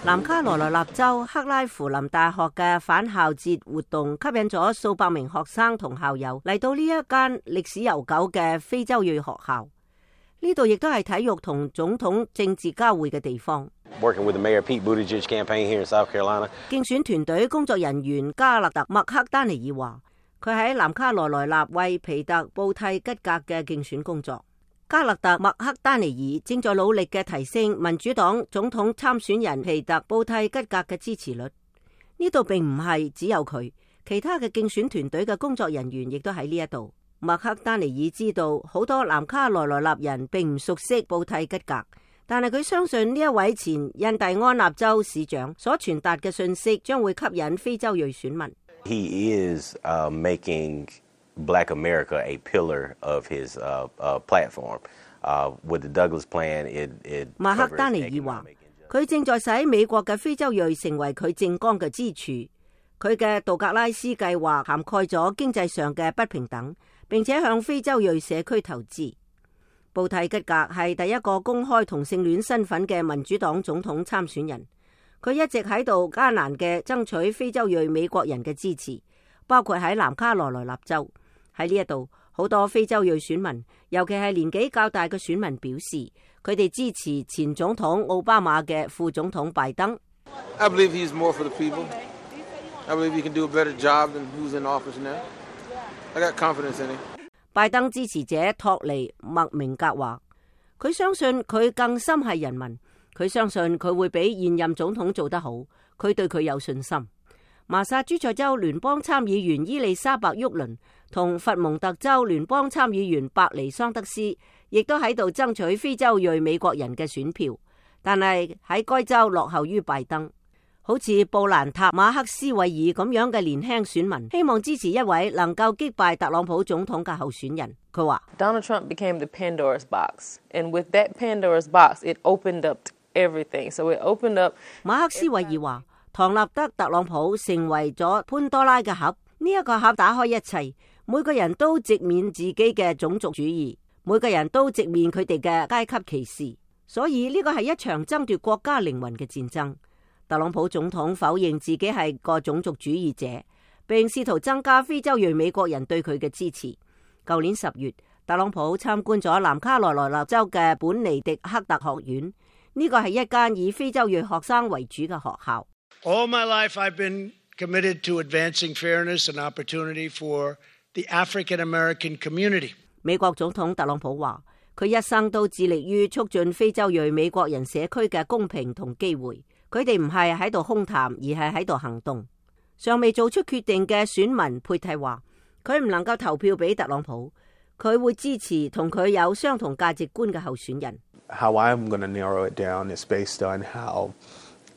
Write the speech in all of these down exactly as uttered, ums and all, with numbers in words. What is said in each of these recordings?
南卡羅來納州克拉夫林大學嘅返校節活動吸引咗數百名學生同校友嚟到呢一間歷史悠久嘅非洲裔學校。呢度亦都係體育同總統政治交匯嘅地方。Working with the Mayor Pete Buttigieg campaign here in South Carolina。競選團隊工作人員加勒特麥克丹尼爾話，佢喺南卡羅來納為皮特布蒂吉格嘅競選工作。加勒特麥克丹尼爾正在努力嘅提升民主黨總統參選人皮特布蒂吉格嘅支持率。呢度並唔係只有佢，其他嘅競選團隊嘅工作人員亦都喺呢一度。麥克丹尼爾知道好多南卡羅來納人並唔熟悉布蒂吉格，但係佢相信呢一位前印第安納州市長所傳達嘅信息將會吸引非洲裔選民。He is, uh, making Black America a pillar of his, uh, uh, platform. Uh, with the Douglas Plan, it, it 馬克丹尼爾話，佢正在使美國嘅非洲裔成為佢政綱嘅支柱。佢嘅杜格拉斯計劃涵蓋咗經濟上嘅不平等，並且向非洲裔社區投資。布蒂吉格係第一個公開同性戀身份嘅民主黨總統參選人。佢一直喺度艱難嘅爭取非洲裔美國人嘅支持，包括喺南卡羅來納州。喺呢一度，好多非洲裔選民，尤其係年紀較大嘅選民表示，佢哋支持前總統奧巴馬嘅副總統拜登。I believe he's more for the people. I believe he can do a better job than who's in office now. I got confidence in him. 拜登支持者托尼麥明格話，佢相信佢更深係人民，佢相信佢會比現任總統做得好，佢對佢有信心。麻薩諸塞州聯邦參議員伊麗莎白沃倫同佛蒙特州聯邦參議員伯尼桑德斯亦都喺度爭取非洲裔美國人嘅選票，但係喺該州落後於拜登。好似布蘭塔馬克斯韋爾咁樣嘅年輕選民希望支持一位能夠擊敗特朗普總統嘅候選人。佢話 Donald Trump became the Pandora's box, and with that Pandora's box, it opened up everything. So it opened up. 馬克斯韋爾話，唐納德特朗普成為咗潘多拉嘅盒，呢一個盒打開一切，每個人都直面自己嘅種族主義，每個人都直面佢哋嘅階級歧視，所以呢個係一場爭奪國家靈魂嘅戰爭。特朗普總統否認自己係個種族主義者，並試圖增加非洲裔美國人對佢嘅支持。舊年十月，特朗普參觀咗南卡羅來納州嘅本尼迪克特學院，呢個係一間以非洲裔學生為主嘅學校。All my life I've been committed to advancing fairness and opportunity for the African American community. 美國總統特朗普話，佢一生都致力於促進非洲裔美國人社區嘅公平同機會。佢哋唔係喺度空談，而係喺度行動。尚未做出決定嘅選民佩蒂話，佢唔能夠投票俾特朗普，佢會支持同佢有相同價值觀嘅候選人。How I'm going to narrow it down is based on how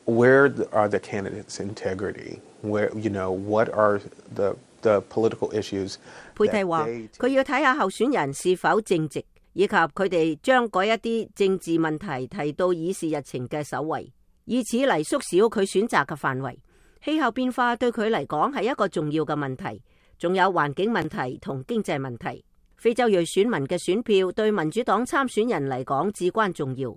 where are the candidates' integrity? Where you know what are the the political issues? 佩蒂話，佢要睇下候選人是否正直，以及佢哋將嗰一啲政治問題提到議事日程嘅首位，以此嚟縮小佢選擇嘅範圍。氣候變化對佢嚟講係一個重要嘅問題，仲有環境問題同經濟問題。非洲裔選民嘅選票對民主黨參選人嚟講至關重要。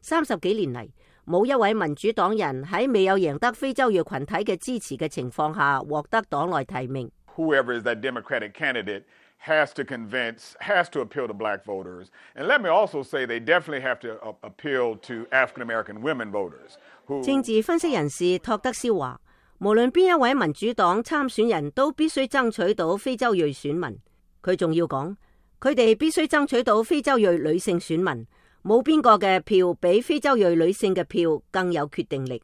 三十幾年嚟，冇一位民主黨人喺未有贏得非洲裔群體嘅支持嘅情況下獲得黨內提名。Whoever is that Democratic candidate has to convince, has to appeal to black voters. And let me also say they definitely have to appeal to African American women voters. 政治分析人士托德肖話，無論邊一位民主黨參選人都必須爭取到非洲裔選民。佢仲要講，佢哋必須爭取到非洲裔女性選民。冇邊個嘅票比非洲裔女性嘅票更有決定力。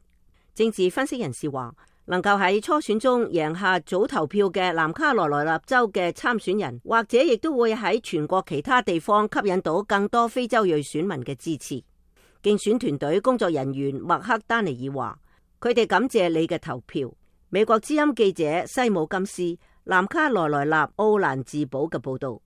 政治分析人士話，能夠喺初選中贏下早投票嘅南卡羅來納州嘅參選人，或者亦都會喺全國其他地方吸引到更多非洲裔選民嘅支持。競選團隊工作人員麥克丹尼爾話，佢哋感謝你嘅投票。美國之音記者西姆金斯南卡羅來納奧蘭治堡嘅報道。